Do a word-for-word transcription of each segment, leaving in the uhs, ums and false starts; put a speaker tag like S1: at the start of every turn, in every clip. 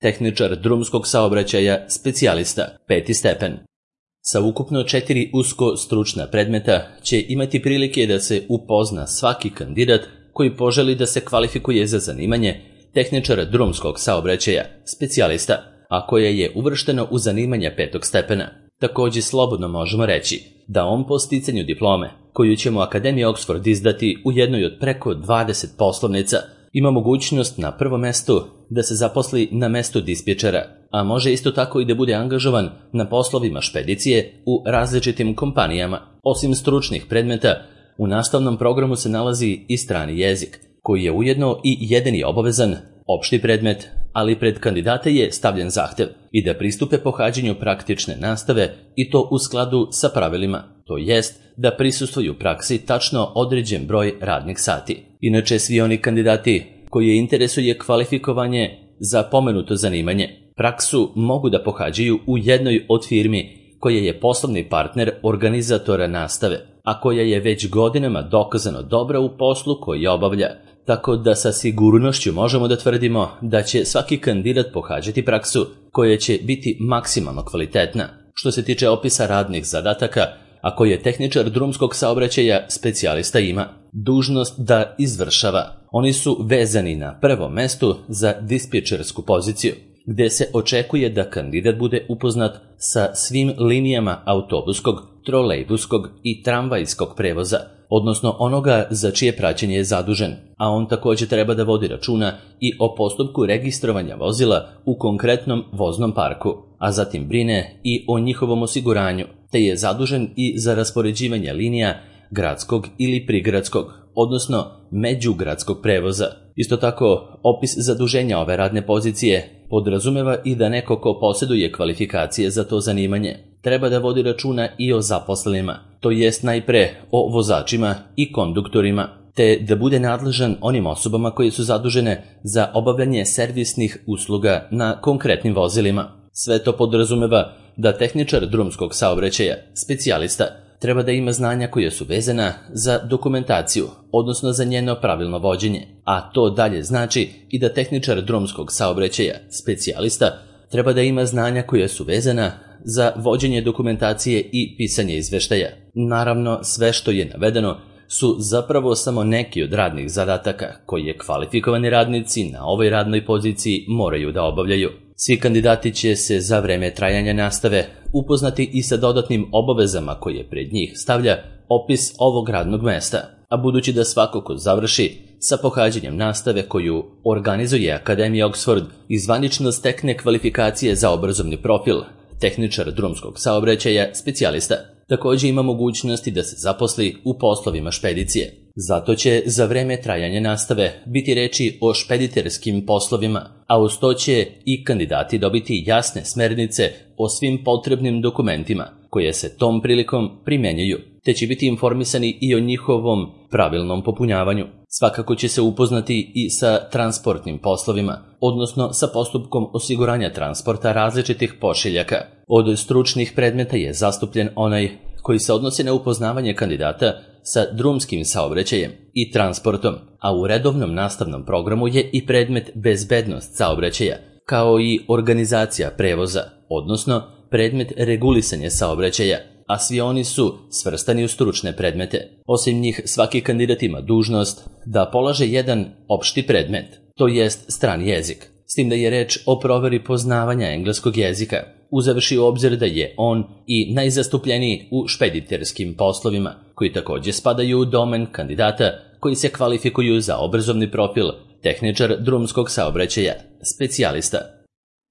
S1: tehničar drumskog saobraćaja, specijalista, peti stepen. Sa ukupno četiri usko stručna predmeta će imati prilike da se upozna svaki kandidat koji poželi da se kvalifikuje za zanimanje tehničara drumskog saobraćaja, specijalista, a koje je uvršteno u zanimanja petog stepena. Takođe slobodno možemo reći da on po sticanju diplome, koju će mu Akademija Oxford izdati u jednoj od preko dvadeset poslovnica, ima mogućnost na prvom mestu da se zaposli na mestu dispečera, a može isto tako i da bude angažovan na poslovima špedicije u različitim kompanijama. Osim stručnih predmeta, u nastavnom programu se nalazi i strani jezik, koji je ujedno i jedini obavezan opšti predmet, ali pred kandidate je stavljen zahtev i da pristupe pohađanju praktične nastave i to u skladu sa pravilima, to jest da prisustvuju praksi tačno određen broj radnih sati. Inače, svi oni kandidati koji interesuje kvalifikovanje za pomenuto zanimanje, praksu mogu da pohađaju u jednoj od firmi koja je poslovni partner organizatora nastave, a koja je već godinama dokazano dobra u poslu koji obavlja, tako da sa sigurnošću možemo da tvrdimo da će svaki kandidat pohađati praksu koja će biti maksimalno kvalitetna. Što se tiče opisa radnih zadataka, a koje tehničar drumskog saobraćaja specijalista ima dužnost da izvršava, oni su vezani na prvom mestu za dispečersku poziciju, gde se očekuje da kandidat bude upoznat sa svim linijama autobuskog, trolejbuskog i tramvajskog prevoza, odnosno onoga za čije praćenje je zadužen, a on takođe treba da vodi računa i o postupku registrovanja vozila u konkretnom voznom parku, a zatim brine i o njihovom osiguranju, te je zadužen i za raspoređivanje linija gradskog ili prigradskog, odnosno međugradskog prevoza. Isto tako, opis zaduženja ove radne pozicije podrazumeva i da neko ko posjeduje kvalifikacije za to zanimanje treba da vodi računa i o zaposlenima, to jest najpre o vozačima i konduktorima, te da bude nadležan onim osobama koje su zadužene za obavljanje servisnih usluga na konkretnim vozilima. Sve to podrazumeva da tehničar drumskog saobraćaja, specijalista, treba da ima znanja koja su vezana za dokumentaciju, odnosno za njeno pravilno vođenje, a to dalje znači i da tehničar drumskog saobraćaja, specijalista, treba da ima znanja koja su vezana za vođenje dokumentacije i pisanje izveštaja. Naravno, sve što je navedeno su zapravo samo neki od radnih zadataka koje kvalifikovani radnici na ovoj radnoj poziciji moraju da obavljaju. Svi kandidati će se za vreme trajanja nastave upoznati i sa dodatnim obavezama koje pred njih stavlja opis ovog radnog mesta, a budući da svako ko završi sa pohađanjem nastave koju organizuje Akademija Oxford i zvanično stekne kvalifikacije za obrazovni profil tehničar drumskog saobraćaja, specijalista, takođe ima mogućnosti da se zaposli u poslovima špedicije. Zato će za vreme trajanja nastave biti reči o špediterskim poslovima, a uz to će i kandidati dobiti jasne smernice o svim potrebnim dokumentima koje se tom prilikom primenjuju, te će biti informisani i o njihovom pravilnom popunjavanju. Svakako će se upoznati i sa transportnim poslovima, odnosno sa postupkom osiguranja transporta različitih pošiljaka. Od stručnih predmeta je zastupljen onaj koji se odnosi na upoznavanje kandidata sa drumskim saobraćajem i transportom, a u redovnom nastavnom programu je i predmet bezbednost saobraćaja, kao i organizacija prevoza, odnosno predmet regulisanje saobraćaja, a svi oni su svrstani u stručne predmete. Osim njih, svaki kandidat ima dužnost da polaže jedan opšti predmet, to jest strani jezik, s tim da je reč o proveri poznavanja engleskog jezika, uzevši u obzir da je on i najzastupljeniji u špediterskim poslovima, koji takođe spadaju u domen kandidata koji se kvalifikuju za obrazovni profil tehničar drumskog saobraćaja, specijalista.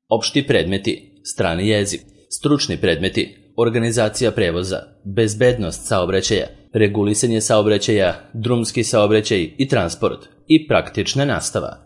S1: Opšti predmeti, strani jezik, stručni predmeti, organizacija prevoza, bezbednost saobraćaja, regulisanje saobraćaja, drumski saobraćaj i transport i praktična nastava.